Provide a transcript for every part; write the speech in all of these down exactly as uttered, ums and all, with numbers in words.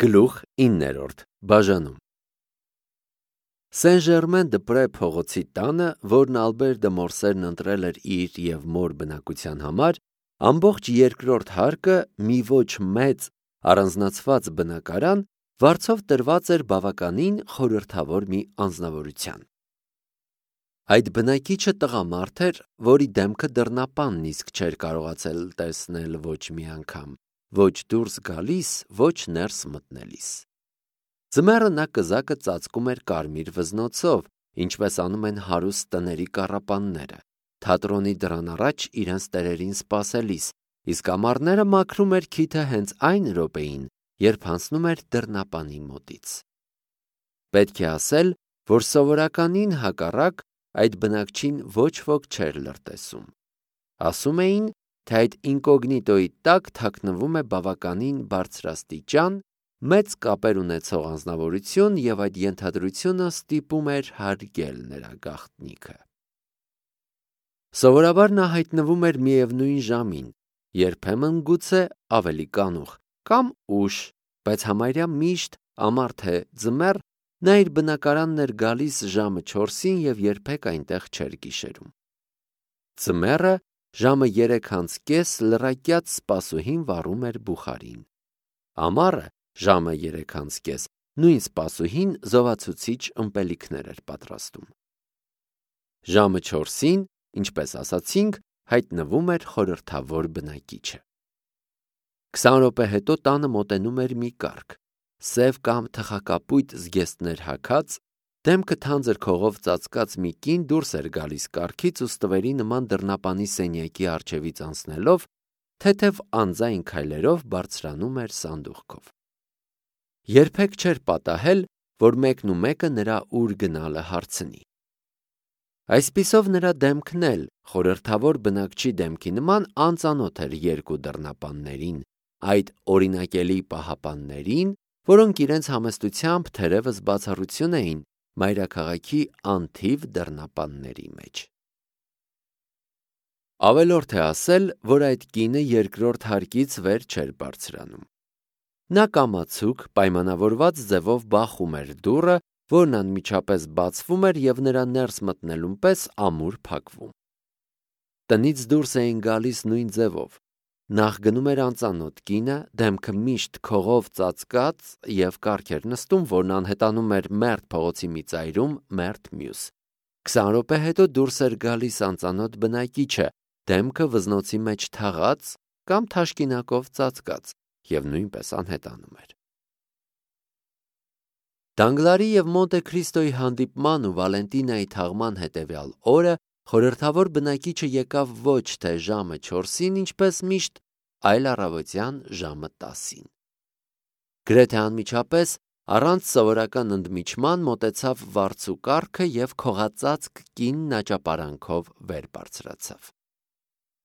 Գլուխ իններորդ բաժանում Սեն-Ժերմեն-դե-Պրե փողոցի տանը, որն Ալբեր դը Մորսերն ընտրել էր իր և մոր բնակության համար, ամբողջ երկրորդ հարկը մի ոչ մեծ առանձնացված բնակարան վարձով տրված էր բավականին խորհրդավոր մի անձնավորության։ Այդ բնակիչը տղամարդ էր, որի դեմքը դռնապանն իսկ չէր կարողացել տեսնել ոչ մի անգամ, ոչ դուրս գալիս, ոչ ներս մտնելիս։ Ձմեռը նա կզակը ծածկում էր կարմիր վզնոցով, ինչպես անում են հարուստ տների կառապանները, թատրոնի դռան առաջ իրենց տերերին սպասելիս, իսկ ամառները մաքրում էր քիթը հենց այն րոպեին, երբ հանցնում էր դռնապանի մոտից։ Պետք է ասել, որ սովորականին հակառակ այդ բնակչին ոչ ոք չէր լրտեսում։ Ասում էին, թե այդ ինկոգնիտոյի տակ թաքնվում է բավականին բարձրաստիճան, մեծ կապեր ունեցող անձնավորություն և այդ ենթադրությունը ստիպում էր հարգել նրա գաղտնիքը։ Սովորաբար նա հայտնվում էր միևնույն ժամին, երբեմն գուցե ավելի կանուխ կամ ուշ, բայց համարյա միշտ, ամառ թե ձմեռ, նա իր բնակարանն էր գալիս ժամը չորսին և երբեք այնտեղ չէր գիշերում։ Ձմեռը ժամը երեք անց կես լռակյաց սպասուհին վառում էր բուխարին։ Ամառը ժամը երեք անց կես նույն սպասուհին զովացուցիչ ըմպելիքներ էր պատրաստում։ Ժամը չորսին, ինչպես ասացինք, հայտնվում էր խորհրդավոր բնակիչը։ Քսան րոպե հետո տանը մոտենում էր մի կառք, սև կամ թխակապույտ զգեստներ հագած, դեմքը թանձր քողով ծածկած մի կին դուրս էր գալիս կառքից ու ստվերի նման դռնապանի սենյակի առջևից անցնելով, թեթև անձայն քայլերով բարձրանում էր սանդուղքով։ Երբեք չէր պատահել, որ մեկն ու մեկը նրա ուր գնալը հարցնի։ Այսպիսով նրա դեմքն էլ խորհրդավոր բնակչի դեմքի նման անծանոթ էր երկու դռնապաններին, այդ օրինակելի պահապաններին, որոնք իրենց համեստությամբ թերևս բացառություն էին մայրաքաղաքի անթիվ դռնապանների մեջ։ Ավելորդ է ասել, որ այդ կինը երկրորդ հարկից վեր չէր բարձրանում։ Նա կամացուկ, պայմանավորված ձևով բախում էր դուռը, որն անմիջապես բացվում էր և նրա ներս մտնելուն պես ամուր փակվում։ Տնից դուրս էին գալիս նույն ձևով։ Նախ գնում էր անծանոթ կինը, դեմքը միշտ քողով ծածկած և կառք էր նստում, որն անհետանում էր մերթ փողոցի մի ծայրում, մերթ մյուս։ Քսան րոպե հետո դուրս էր գալիս անծանոթ բնակիչը, դեմքը վզնոցի մեջ թաղած կամ թաշկինակով ծածկած և նույնպես անհետանում էր։ Դանգլարի և Մոնտե Քրիստոյի հանդիպման ու Վալենտինայի թաղման հետևյալ օրը խորհրդավոր բնակիչը եկավ ոչ թե ժամը չորսին, ինչպես միշտ, այլ առավոտյան ժամը տասին։ Գրեթե անմիջապես, առանց սովորական ընդմիջման մոտեցավ վարձու կառքը և քողածածկ կինն աճապարանքով վեր բարձրացավ։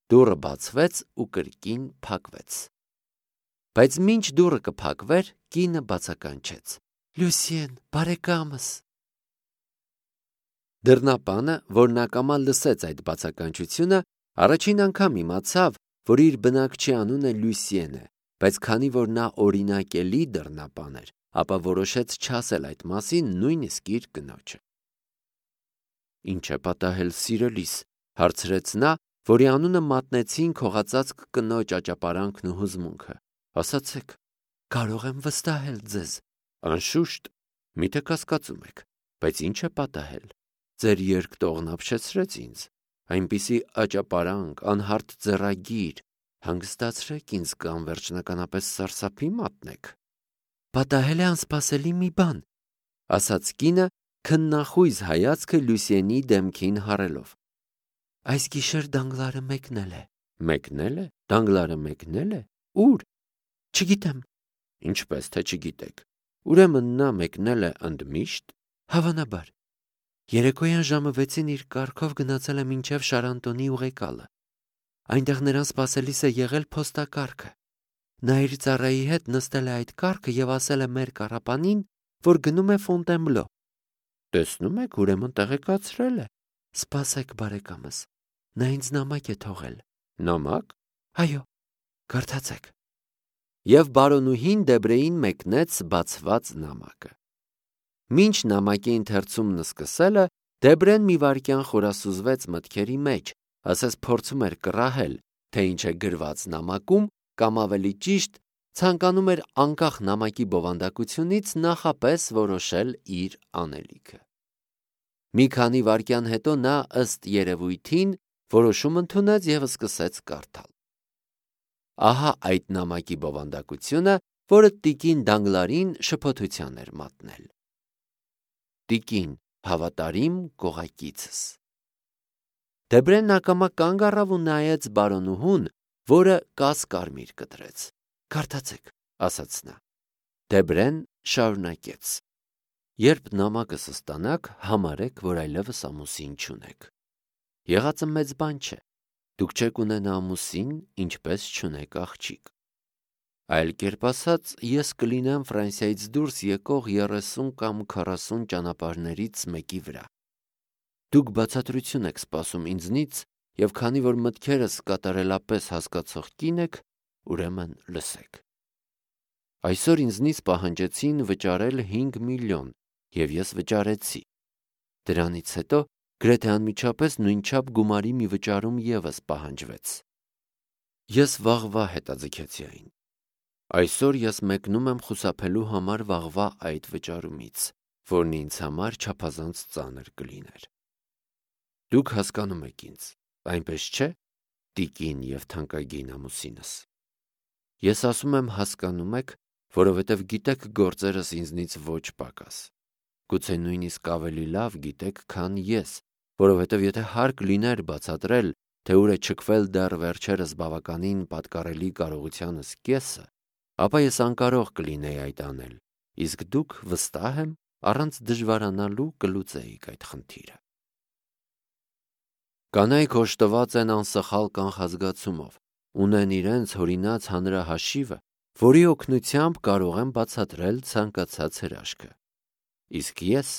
Դուռը բացվեց ու կրկին փակվեց։ Բայց մինչ դուռը կփակվեր, կինը բացականչեց. «Լուսիեն, բարեկամս»։ Դռնապանը, որն ակամա լսեց այդ բացականչությունը, առաջին անգամ իմացավ, որ իր բնակչի անունը Լուսիեն է, բայց քանի որ նա օրինակելի դռնապան էր, ապա որոշեց չասել այդ մասին նույնիսկ իր կնոջը։ «Ինչ է պատահել, սիրելիս», հարցրեց նա, որի անունը մատնեցին քողածածկ կնոջ աճապարանքն ու հուզմունքը։ «Ասացեք, կարող եմ վստահել ձեզ»։ «Անշուշտ, միթե կասկածում եք, բայց ինչ է պատահել։ Ձեր երկտողն ապշեցրեց ինձ, այնպիսի աճապարանք, անհարթ ձեռագիր, հանգստացրեք ինձ կամ վերջնականապես սարսափի մատնեք»։ «Պատահել է անսպասելի մի բան», ասաց կինը, քննախույզ հայացքը Լուսիենի դեմքին հառելով։ «Այս գիշեր Դանգլարը մեկնել է»։ «Մեկնել է։ Դանգլարը մեկնել է։ Ո՞ւր»։ «Չգիտեմ»։ «Ինչպես թե չգիտեք։ Ուրեմն նա մեկնել է ընդմիշտ»։ «Հավանաբար։ Երեկոյան ժամը վեցին իր կառքով գնացել է մինչև Շարանտոնի ուղեկալը։ Այնտեղ նրան սպասելիս է եղել փոստակառքը։ Նա իր ծառայի հետ նստել է այդ կառքը և ասել է մեր կառապանին, որ գնում է Ֆոնտենբլո։ Տեսնում եք, ուրեմն տեղեկացրել է։ Սպասեք, բարեկամս, նա ինձ նամակ է թողել։ Նամակ։ Այո, կարդացեք։ Եվ բարոնուհին Դեբրեին մեկնեց բացված նամակը։ Մինչ նամակի ընթերցումն սկսելը, Դեբրեն մի վայրկյան խորասուզվեց մտքերի մեջ, ասես փորձում էր կռահել, թե ինչ է գրված նամակում, կամ ավելի ճիշտ, ցանկանում էր անկախ նամակի բովանդակությունից նախապես որոշել իր անելիքը։ Մի քանի վայրկյան հետո նա ըստ երևույթին որոշում ընդունեց և սկսեց կարդալ։ Ահա այդ նամակի բովանդակությունը, որը տիկին Դանգլարին շփոթության էր մատնել։ Տիկին, հավատարիմ կողակիցս։ Դեբրեն ակամա կանգ առավ ու նայեց բարոնուհուն, որը կաս-կարմիր կտրեց։ Կարդացեք, ասաց նա։ Դեբրեն շարունակեց. Երբ նամակս ստանաք, համարեք, որ այլևս ամուսին չունեք։ Եղածը մեծ բան չէ։ Դուք չեք ունենա ամուսին, ինչպես չունեք աղջիկ։ Այլ կերպ ասած, ես կլինեմ Ֆրանսիայից դուրս եկող երեսուն կամ քառասուն ճանապարհներից մեկի վրա։ Դուք բացատրություն եք սպասում ինձնից, և քանի որ մտքերս կատարելապես հասկացող կին եք, ուրեմն լսեք։ Այսօր ինձնից պահանջեցին վճարել հինգ միլիոն, և ես վճարեցի։ Դրանից հետո գրեթե անմիջապես նույնչափ գումարի մի վճարում ևս պահանջվեց։ Ես վաղվա հետաձգեցի այն։ Այսօր ես մեկնում եմ խուսափելու համար վաղվա այդ վճարումից, որն ինձ համար չափազանց ծանր կլիներ։ Դուք հասկանում եք ինձ, այնպես չէ, տիկին և թանկագին ամուսինս։ Ես ասում եմ հասկանում եք, որովհետև գիտեք գործերս ինձնից ոչ պակաս։ Գուցե նույնիսկ ավելի լավ գիտեք, քան ես, որովհետև եթե հարկ լիներ բացատրել, թե ուր է չքվել դեռ վերջերս բավականին պատկառելի կարողությանս կեսը, ապա ես անկարող կլինեի այդ անել, իսկ դուք, վստահ եմ, առանց դժվարանալու կլուծեիք այդ խնդիրը։ Կանայք օժտված են անսխալ կանխազգացումով, ունեն իրենց հորինած հանրահաշիվը, որի օգնությամբ կարող են բացատրել ցանկացած հրաշքը։ Իսկ ես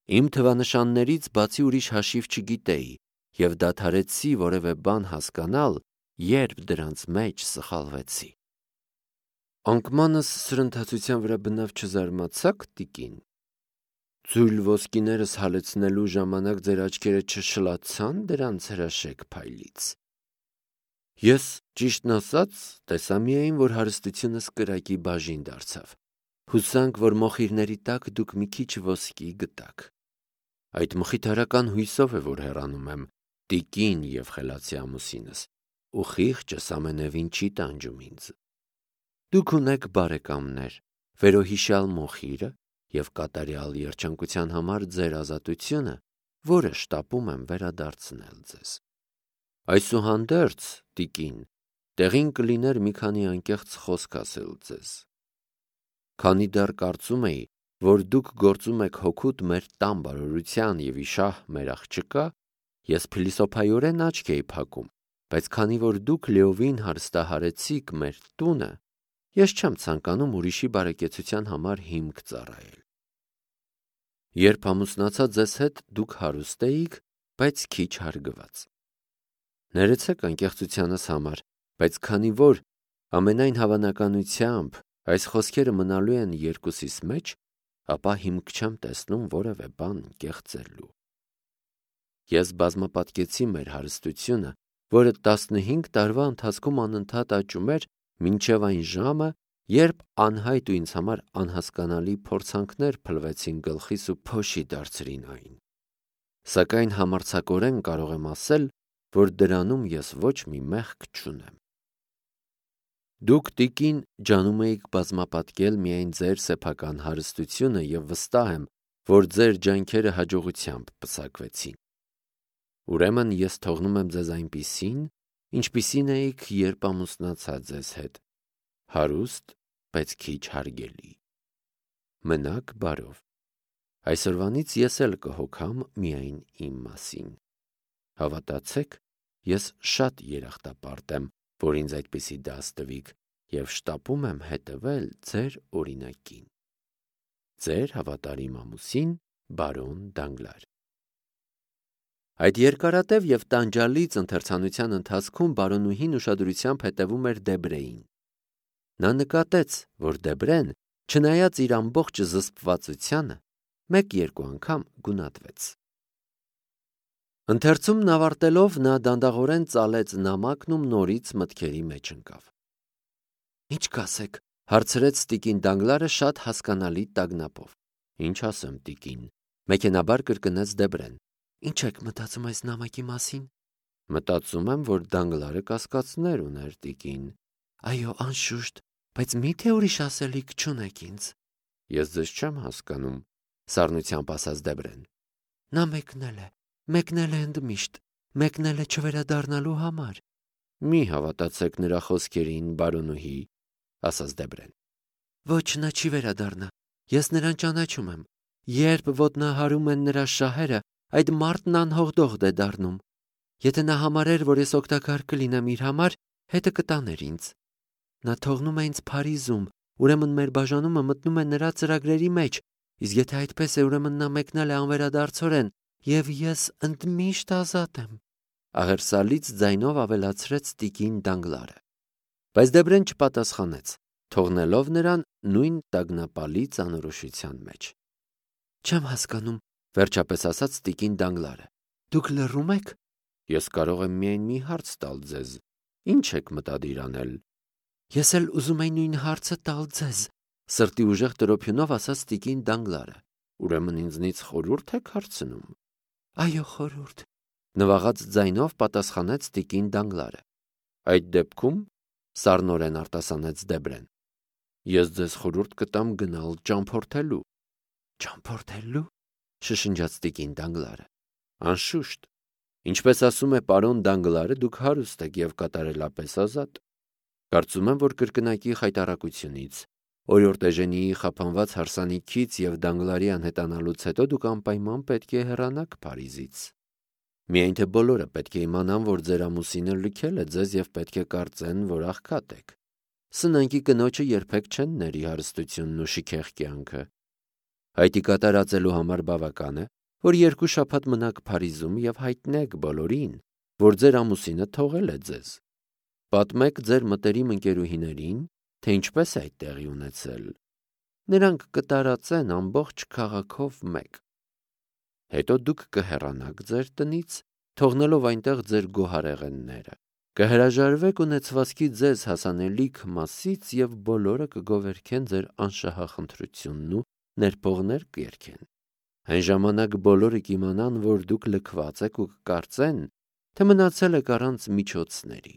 իմ թվանշաններից բացի ուրիշ հաշիվ չգիտեի և դադարեցի որևէ բան հասկանալ, երբ դրանց մեջ սխալվեցի։ Անկմանս սրընթացության վրա բնավ չզարմացաք, տիկին։ Ձույլ ոսկիներս հալեցնելու ժամանակ ձեր աչքերը չշլացա՞ն դրանց հրաշեք փայլից։ Ես, ճիշտն ասած, տեսա միայն, որ հարստությունս կրակի բաժին դարձավ։ Հուսանք, որ մոխիրների տակ դուք մի քիչ ոսկի գտաք։ Այդ մխիթարական հույսով է, որ հեռանում եմ, տիկին և խելացի ամուսինս, ու խիղճս ամենևին չի տանջում ինձ։ Դուք ունեք բարեկամներ, վերոհիշյալ մոխիրը և կատարյալ երջանկության համար ձեր ազատությունը, որը շտապում եմ վերադարձնել ձեզ։ Այսուհանդերձ, տիկին, տեղին կլիներ մի քանի անկեղծ խոսք ասել ձեզ։ Քանի դեռ կարծում էի, որ դուք գործում եք հօգուտ մեր տան բարօրության և իշահ մեր աղջկա, ես փիլիսոփայորեն աչք էի փակում, բայց քանի որ դուք լիովին հարստահարեցիք մեր տունը, ես չեմ ցանկանում ուրիշի բարեկեցության համար հիմք ծառայել։ Երբ ամուսնացա ձեզ հետ, դուք հարուստ էիք, բայց քիչ հարգված։ Ներեցեք անկեղծությանս համար, բայց քանի որ ամենայն հավանականությամբ այս խոսքերը մնալու են երկուսիս մեջ, ապա հիմք չեմ տեսնում որևէ բան կեղծելու։ Ես բազմապատկեցի մեր հարստությունը, որը տասնհինգ տարվա ընթացքում անընդհատ աճում էր, մինչև այն ժամը, երբ անհայտ ու ինձ համար անհասկանալի փորձանքներ փլվեցին գլխիս ու փոշի դարձրին այն։ Սակայն համարձակորեն կարող եմ ասել, որ դրանում ես ոչ մի մեղք չունեմ։ Դուք, տիկին, ջանում էիք բազմապատկել միայն ձեր սեփական հարստությունը և վստահ եմ, որ ձեր ջանքերը հաջողությամբ պսակվեցին։ Ուրեմն ես թողնում եմ ձեզ այնպիսին, ինչպիսին էիք, երբ ամուսնացա ձեզ հետ, հարուստ, բայց քիչ հարգելի։ Մնաք բարով։ Այսօրվանից ես էլ կհոգամ միայն իմ մասին։ Հավատացեք, ես շատ երախտապարտ եմ, որ ինձ այդպիսի դաս տվիք և շտապում եմ հետևել ձեր օրինակին։ Ձեր հավատարիմ ամուսին բարոն Դանգլար։ Այդ երկարատև և տանջալից ընթերցանության ընթացքում բարոնուհին ուշադրությամբ հետևում էր Դեբրեին։ Նա նկատեց, որ Դեբրեն, չնայած իր ամբողջ զսպվածությանը, մեկ-երկու անգամ գունատվեց։ Ընթերցումն ավարտելով նա դանդաղորեն ծալեց նամակն ու նորից մտքերի մեջ ընկավ։ «Ինչ կասեք», հարցրեց տիկին Դանգլարը շատ հասկանալի տագնապով։ «Ինչ ասեմ, տիկին», մեքենաբար կրկնեց Դեբրեն։ «Ինչ եք մտածում այս նամակի մասին»։ «Մտածում եմ, որ Դանգլարը կասկածներ ուներ, տիկին»։ «Այո, անշուշտ, բայց միթե ուրիշ ասելիք չունեք ինձ»։ «Ես ձեզ չեմ հասկանում», սառնությամբ ասաց Դեբրեն։ «Նա մեկնել է, մեկնել է ընդմիշտ, մեկնել է չվերադառնալու համար»։ «Մի հավատացեք նրա խոսքերին, բարոնուհի», ասաց Դեբրեն։ «Ոչ, նա չի վերադառնա, ես նրան ճանաչում եմ։ Երբ ոտնահարում են նրա շահերը, այդ մարդն անհողդողդ է դառնում։ Եթե նա համարեր, որ ես օգտակար կլինեմ իր համար, հետը կտաներ ինձ։ Նա թողնում է ինձ Փարիզում, ուրեմն մեր բաժանումը մտնում է նրա ծրագրերի մեջ, իսկ եթե այդպես է, ուրեմն նա մեկնել է անվերադարձորեն, և ես ընդմիշտ ազատ եմ», աղերսալից ձայնով ավելացրեց տիկին Դանգլարը։ Բայց Դեբրեն չպատասխանեց, թողնելով նրան նույն տագնապալի ծանրոշության մեջ։ «Չեմ հասկանում», վերջապես ասաց տիկին Դանգլարը։ «Դուք լռում եք»։ «Ես կարող եմ միայն մի հարց տալ ձեզ. ինչ եք մտադիր անել»։ «Ես էլ ուզում էի նույն հարցը տալ ձեզ», սրտի ուժեղ տրոփյունով ասաց տիկին Դանգլարը։ «Ուրեմն ինձնից խորհուրդ եք հարցնում»։ «Այո, խորհուրդ», նվաղած ձայնով պատասխանեց տիկին Դանգլարը։ «Այդ դեպքում», սառնորեն արտասանեց Դեբրեն, «ես ձեզ խորհուրդ կտամ գնալ ճամփորդելու»։ «Ճամփորդելու», շշնջաց տիկին Դանգլարը։ «Անշուշտ, ինչպես ասում է պարոն Դանգլարը, դուք հարուստ եք և կատարելապես ազատ։ Կարծում եմ, որ կրկնակի խայտառակությունից, օրիորդ Էժենիի խափանված հարսանիքից և Դանգլարի անհետանալուց հետո դուք անպայման պետք է հեռանաք Փարիզից։ Միայն թե բոլորը պետք է իմանան, որ ձեր ամուսինը լքել է ձեզ և պետք է կարծեն, որ աղքատ եք։ Սնանկի կնոջը երբեք չեն ների հարստությունն ու շքեղ կյանքը։ Հայտի կատարածելու համար բավական է, որ երկու շաբաթ մնաք Փարիզում և հայտնեք բոլորին, որ ձեր ամուսինը թողել է ձեզ։ Պատմեք ձեր մտերիմ ընկերուհիներին, թե ինչպես է այդ տեղի ունեցել։ Նրանք կտարածեն ամբողջ քաղաքով մեկ։ Հետո դուք կհեռանաք ձեր տնից, թողնելով այնտեղ ձեր գոհարեղենները, կհրաժարվեք ունեցվածքի ձեզ հասանելիք մասից և բոլորը կգովերգեն ձեր անշահախնդրությունն ու ներփողներ կերգեն։ Այն ժամանակ բոլորը կիմանան, որ դուք լքված եք ու կկարծեն, թե մնացել եք առանց միջոցների։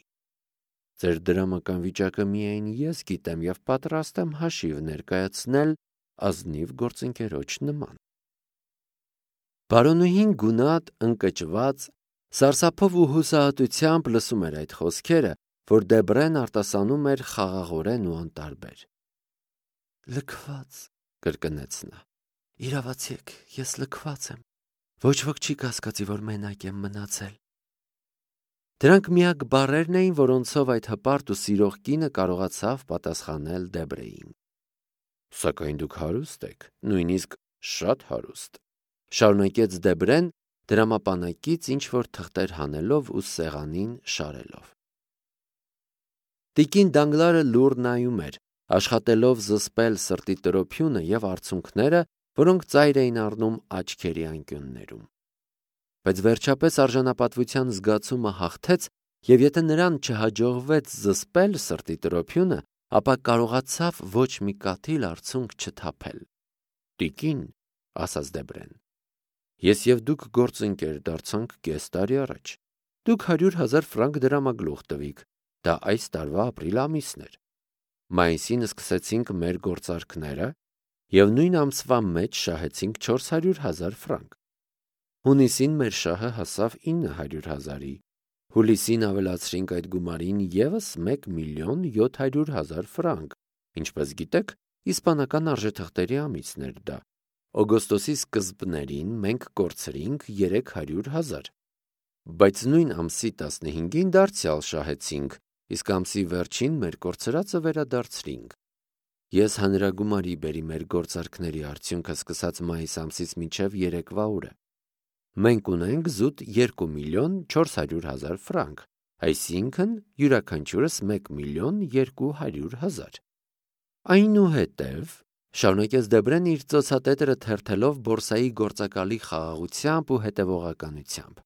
Ձեր դրամական վիճակը միայն ես գիտեմ և պատրաստ եմ հաշիվ ներկայացնել ազնիվ գործընկերոջ նման։ Բարոնուհին գունատ, ընկճված, սարսափով ու հուսահատությամբ լսում էր այդ խոսքերը, որ Դեբրեն արտասանում էր խաղաղորեն ու անտարբեր։ «Լքված», կրկնեց նա։ «Իրավացի եք, ես լքված եմ։ Ոչ ոք չի կասկածի, որ մենակ եմ մնացել»։ Դրանք միակ բառերն էին, որոնցով այդ հպարտ ու սիրող կինը կարողացավ պատասխանել Դեբրեին։ «Սակայն դուք հարուստ եք, նույնիսկ շատ հարուստ», շարունակեց Դեբրեն, դրամապանակից ինչ-որ թղթեր հանելով ու սեղանին շարելով։ Տիկին Դանգլարը լուռ նայում էր, աշխատելով զսպել սրտի տրոփյունը և արցունքները, որոնք ծայր էին առնում աչքերի անկյուններում։ Բայց վերջապես արժանապատվության զգացումը հաղթեց, և եթե նրան չհաջողվեց զսպել սրտի տրոփյունը, ապա կարողացավ ոչ մի կաթիլ արցունք չթափել։ «Տիկին», ասաց Դեբրեն, «ես և դուք գործընկեր դարձանք կես տարի առաջ։ Դուք հարյուր հազար ֆրանկ դրամագլուխ տվիք, դա այս տարվա ապրիլ ամիսն էր։ Մայիսին սկսեցինք մեր գործարքները և նույն ամսվա մեջ շահեցինք չորս հարյուր հազար ֆրանկ։ Հունիսին մեր շահը հասավ ինը հարյուր հազարի, հուլիսին ավելացրինք այդ գումարին ևս մեկ միլիոն յոթ հարյուր հազար ֆրանկ, ինչպես գիտեք, իսպանական արժեթղթերի ամիսն էր դա։ Օգոստոսի սկզբներին մենք կորցրինք երեք հարյուր հազար, բայց նույն ամսի տասնհինգին դարձյալ շահեցինք, իսկ ամսի վերջին մեր կորցրածը վերադարձրինք։ Ես հանրագումարի բերի մեր գործարքների արդյունքը սկսած մայիս ամսից մինչև երեկվա օրը։ Մենք ունենք զուտ երկու միլիոն չորս հարյուր հազար ֆրանկ, այսինքն յուրաքանչյուրս մեկ միլիոն երկու հարյուր հազար։ Այնուհետև շարունակեց Դեբրեն իր ծոցատետրը թերթելով բորսայի գործակալի խաղաղությամբ ու հետևողականությամբ։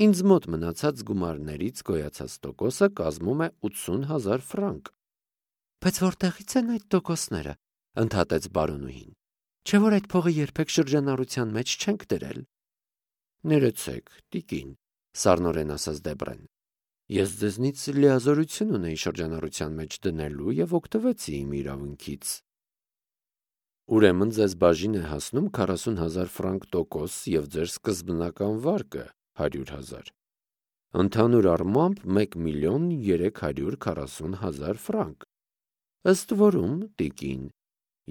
Ինձ մոտ մնացած գումարներից գոյացած տոկոսը կազմում է ութսուն հազար ֆրանկ։ Բայց որտեղից են այդ տոկոսները, ընդհատեց բարոնուհին։ Չէ՞ որ այդ փողը երբեք շրջանառության մեջ չենք դրել։ Ներեցեք, տիկին, սառնորեն ասաց Դեբրեն։ Ես ձեզնից լիազորություն ունեի շրջանառության մեջ դնելու և օգտվեցի իմ իրավունքից։ Ուրեմն ձեզ բաժին է հասնում քառասուն հազար ֆրանկ տոկոս և ձեր սկզբնական վարկը հարյուր հազար։ Ընդհանուր առմամբ մեկ միլիոն երեք հարյուր քառասուն հազար ֆրանկ։ Ըստ որում, տիկին,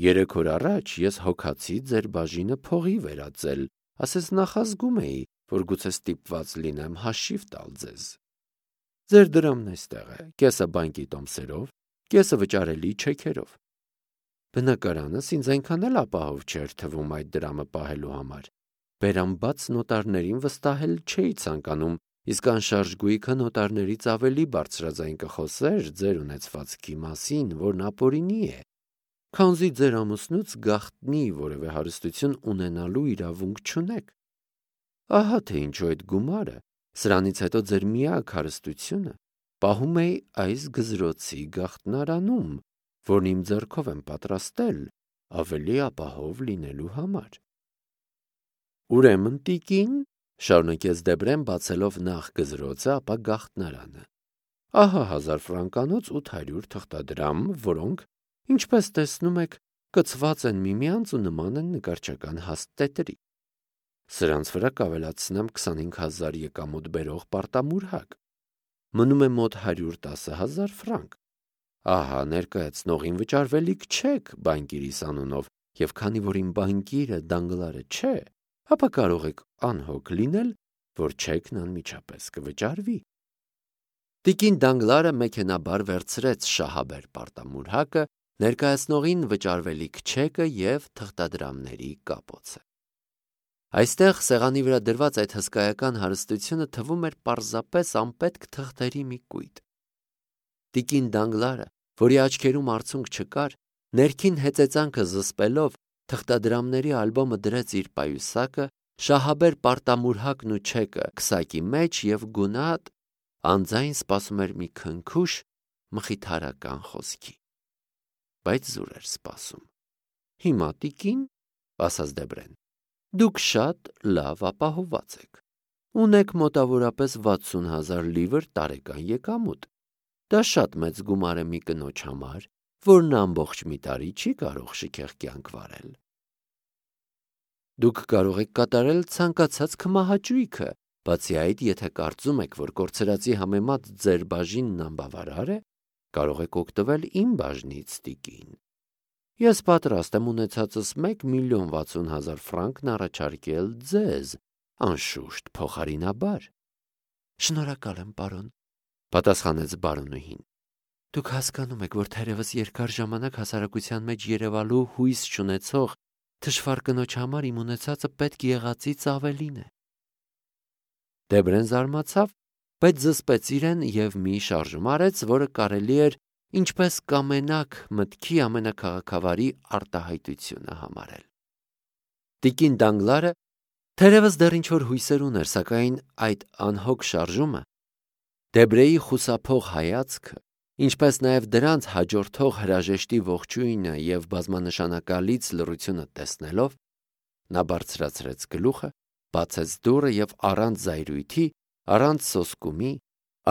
երեք օր առաջ ես հոգացի ձեր բաժինը փողի վերածել, ասես նախազգում էի, որ գուցե ստիպված լինեմ հաշիվ տալ ձեզ։ Ձեր դրամն այստեղ է, կեսը բանկի տոմսերով, կեսը վճարելի չեքերով։ Բնակարանս ինձ այնքան էլ ապահով չէր թվում այդ դրամը պահելու համար։ Բերամբաց նոտարներին վստահել չէի ցանկանում, իսկ անշարժ գույքը նոտարներից ավելի բարձրաձայն կխոսեր ձեր ունեցվածքի մասին, որն ապօրինի է, քանզի ձեր ամուսնուց գաղտնի որևէ հարստություն ունենալու իրավունք չունեք։ Ահա թե ինչու այդ գումարը, սրանից հետո ձեր միակ հարստությունը, պահում էի այս գզրոցի գաղտնարանում, որն իմ ձեռքով եմ պատրաստել ավելի ապահով լինելու համար։ Ուրեմն, տիկին, շարունակեց Դեբրեն բացելով նախ գզրոցը, ապա գաղտնարանը։ Ահա հազար ֆրանկանոց ութ հարյուր թղթադրամ, որոնք, ինչպես տեսնում եք, կցված են միմյանց ու նման են նկարչական հաստ տետրի։ Սրանց վրա կավելացնեմ քսանհինգ հազար եկամուտ բերող պարտամուրհակ։ Մնում է մոտ հարյուր տասը հազար ֆրանկ։ Ահա ներկայացնողին վճարվելիք չեք բանկիրիս անունով, և քանի որ իմ բանկիրը Դանգլարը չէ, ապա կարող եք անհոգ լինել, որ չեքն անմիջապես կվճարվի։ Տիկին Դանգլարը մեքենաբար վերցրեց շահաբեր պարտամուրհակը, ներկայացնողին վճարվելիք չեկը և թղթադրամների կապոցը։ Այստեղ սեղանի վրա դրված այդ հսկայական հարստությունը թվում էր պարզապես անպետք թղթերի մի կույտ։ Տիկին Դանգլարը, որի աչքերում արցունք չկար, ներքին հեծեծանքը զսպելով, թղթադրամների ալբոմը դրեց իր պայուսակը, շահաբեր պարտամուրհակն ու չեկը քսակի մեջ և գունատ անձայն սպասում էր մի քնքուշ մխիթարական խոսքի։ Բայց զուր էր սպասում։ Հիմա, տիկին, ասաց Դեբրեն, դուք շատ լավ ապահովված եք։ Ունեք մոտավորապես վաթսուն հազար լիվր տարեկան եկամուտ։ Դա շատ մեծ գումար է մի կնոջ համար, որն ամբողջ մի տարի չի կարող շքեղ կյանք վարել։ Դուք կարող եք կատարել ցանկացած քմահաճույքը, բացի այդ, եթե կարծում եք, որ կորցրածի համեմատ ձեր բաժինն անբավարար է, կարող եք օգտվել իմ բաժնից, տիկին։ Ես պատրաստ եմ ունեցածս մեկ միլիոն վաթսուն հազար ֆրանկն առաջարկել ձեզ, անշուշտ փոխարինաբար։ Շնորհակալ եմ, պարոն, պատասխանեց բարոնուհին։ Դուք հասկանում եք, որ թերևս երկար ժամանակ հասարակության մեջ երևալու հույս չունեցող թշվառ կնոջ համար իմ ունեցածը պետք եղածից ավելին է։ Դեբրեն զարմացավ, բայց զսպեց իրեն և մի շարժում արեց, որը կարելի էր ինչպես կամենակ մտքի ամենաքաղաքավարի արտահայտությունը համարել։ Տիկին Դանգլարը թերևս դեռ ինչ-որ հույսեր ուներ, սակայն այդ անհոգ շարժումը, Դեբրեի խուսափող հայացքը, ինչպես նաև դրանց հաջորդող հրաժեշտի ողջույնը և բազմանշանակալից լռությունը տեսնելով, նա բարձրացրեց գլուխը, բացեց դուռը և առանց զայրույթի, առանց սոսկումի,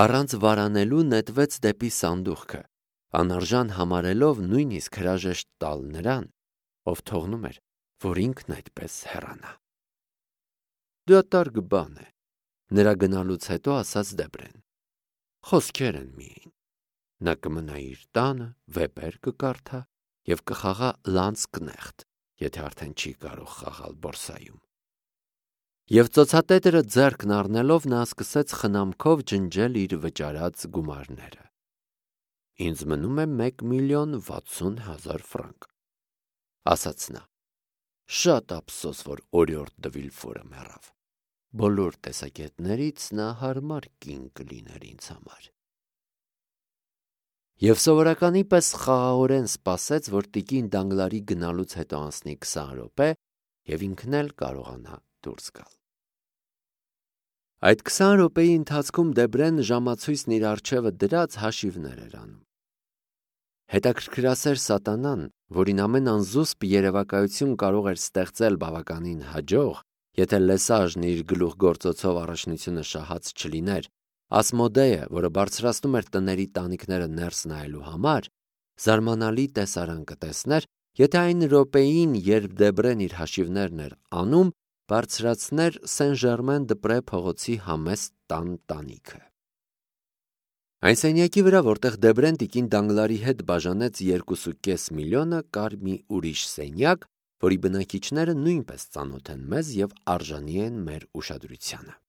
առանց վարանելու նետվեց դեպի սանդուղքը, անարժան համարելով նույնիսկ հրաժեշտ տալ նրան, ով թողնում էր, որ ինքն այդպես հեռանա։ Դատարկ բան է, նրա գնալուց հետո ասաց Դեբրեն։ Խոսքեր են միայն։ Նա կմնա իր տանը, վեպեր կկարդա և կխաղա լանցկնեխտ, եթե արդեն չի կարող խաղալ բորսայում։ Եվ ծոցատետրը ձեռքն առնելով նա սկսեց խնամքով ջնջել իր վճարած գումարները։ Ինձ մնում է մեկ միլիոն վաթսուն հազար ֆրանկ, ասաց նա։ Շատ ափսոս, որ օրիորդ դը Վիլֆորը մեռավ։ Բոլոր տեսակետներից նա հարմար կին կլիներ ինձ համար։ Եվ սովորականի պես խաղաղորեն սպասեց, որ տիկին Դանգլարի գնալուց հետո անցնի քսան րոպե և ինքն էլ կարողանա դուրս գալ։ Այդ քսան րոպեի ընթացքում Դեբրեն ժամացույցն իր առջևը դրած հաշիվներ էր անում։ Հետաքրքրասեր սատանան, որին ամեն անզուսպ երևակայություն կարող էր ստեղծել բավականին հաջող, եթե Լեսաժն իր գլուխգործոցով առաջնությունը շահած չլիներ, Ասմոդեյը, որը բարձրացնում էր տների տանիքները ներս նայելու համար, զարմանալի տեսարան կտեսներ, եթե այն րոպեին, երբ Դեբրեն իր հաշիվներն էր անում, բարձրացներ Սեն-Ժերմեն դպրե փողոցի համեստ տան տանիքը։ Այն սենյակի վրա, որտեղ Դեբրեն տիկին Դանգլարի հետ բաժանեց երկուսու կես միլիոնը, կար մի ուրիշ սենյակ, որի բնակիչները նույնպես ծանոթ են մեզ և արժանի են մեր ուշադրությանը։